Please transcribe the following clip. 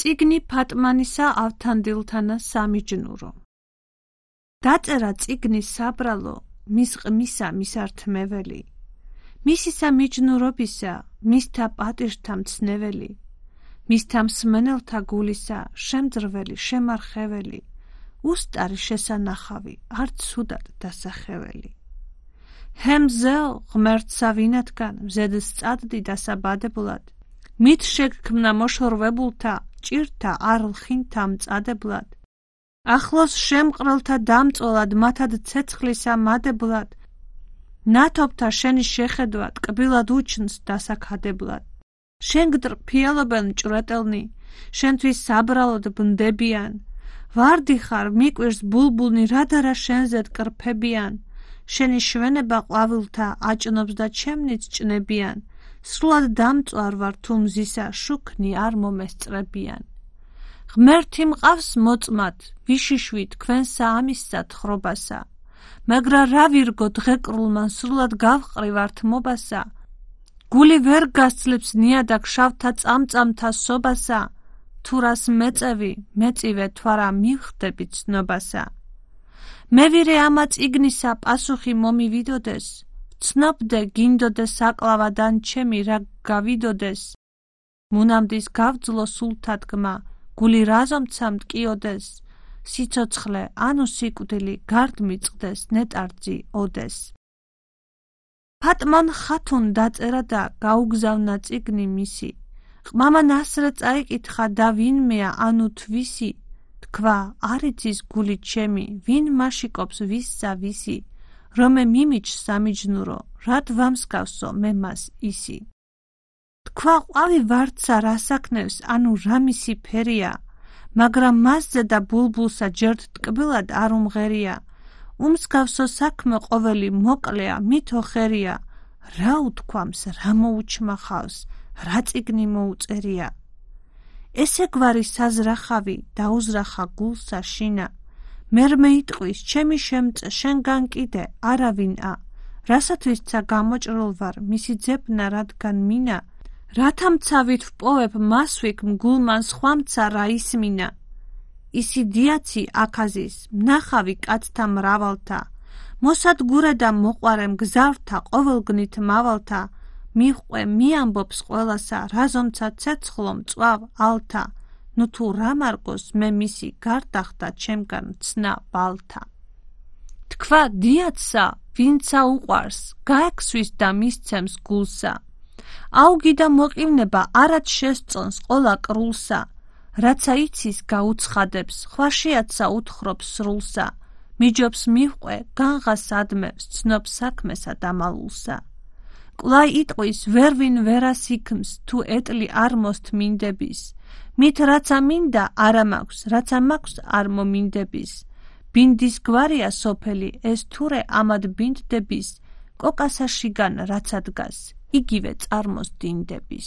წიგნი ფატმანისა ავთანდილთანა სამიჯნურო. დაწერა წიგნის საბრალო, მის ყმისა მისართმეველი, მისისა მიჯნურობისა, მისთა პატიჟთა მცნეველი, მისთა მსმენელთა გულისა, შემძრველი, შემარხეველი, უსტარი შესანახავი, არც ცუდად დასახეველი. ჰემზეო ღმერთსა ვინათგან, მზედ სწადდი დასაბადებულად, მით შეგქმნა მოშორვებულთა, ჭირთა არლხინთა მწადებლად, ახლოს შემყრელთა დამწოლად, მათად ცეცხლისა მადებლად, ნათობთა შენი შეხედვა ტკბილად უჩნს დასაქადებლად. შენ გტრფიალობენ მჭვრეტელნი, შენთვის საბრალოდ ბნდებიან, ვარდი ხარ მიკვირს ბულბულნი, რადარა შენზე დგრფებიან, შენი შვენება ყვავილთა აჭნობს და ჩემნიც ჭნებიან, სრულად დამწვარ ვარ თუ მზისა, შუქნი არ მომესწრებიან. ღმერთი მყავს მოწმად, ვიშიშვი თქვენსა ამისსა თხრობასა, მაგრა რა ვირგო დღეკრულმა სრულად გავყრივართ მობასა, გული ვერ გასძლებს ნიადაგ შავთა წამწამთა სობასა, თუ რას მეწევი, მეწივე თვარა მივხდები ცნობასა. მე ვირე ამა წიგნისა პასუხი მომივიდოდეს, ვცნობდე გინდოდეს აკლავადან ჩემი რა გავიდოდეს, მუნამდის გავძლო სულთა დგმა, გული რაზომცა მტკიოდეს, სიცოცხლე ანუ სიკვდილი გარდ მიწყდეს, ნეტარძი ოდეს. ფატმან ხათუნ დაწერა და გაუგზავნა წიგნი მისი, ყმამა ნასრე წაიკითხა და ვინმეა ანუ თვისი, თქვა არ იცის გული ჩემი, ვინ მაშიკობს ვისსა ვისი, რომე მიმიჯ სამიჯნურო, რად ვამსგავსო მე მას ისი. თქვა ყვავი ვარდსა რასაქმნევს, ანუ რა მისი ფერია, მაგრამ მასზე და ბულბულსა ჯერთ ტკბილად არ უმღერია, უმსგავსო საქმე ყოველი მოკლეა, მითო ხერია, რა უთქვამს, რა მოუჩმახავს, რა წიგნი მოუწერია. ესე გვარი საზრახავი დაუზრახა გულსა შინა, მერმე იტყვის ჩემი შემწე შენგან კიდე არავინა, რასათვისცა გამოჭრილ ვარ მისი ძებნა რადგან მინა, რათა მცავით ვპოვებ მასვიქ მგულმან სხვამცა რა ისმინა. ისი დიაცი აქაზის, მნახავი კაცთა მრავალთა, მოსადგურე და მოყვარე მგზავრთა ყოველგნით მავალთა, მიჰყვე მიამბობს ყველასა, რაზომცა ცეცხლო მწვავ ალთა, ნუ თუ რა მარგოს მე მისი გარდახდა ჩემგან ცნა ბალთა. თქვა დიაცსა, ვინცა უყვარს, გაექსვის და მისცემს გულსა, აუგი და მოყივნება არად შესწონს ყოლა კრულსა, რაცა იცის გაუცხადებს, ხვაშიათსა უთხრობს სრულსა, მიჯობს მიჰყვე, განღას ადმევს, ცნობს საქმესა დამალულსა. კვლავ იტყვის ვერვინ ვერას იქმს, თუ ეტლი არ მოსთმინდების, მით რაცა მინდა არა მაქვს, რაცა მაქვს არ მომინდების. ბინდის გვარია სოფელი, ეს თურე ამად ბინდდების, კოკასა შიგან რაცა დგას, იგივე წარმოს დინდების.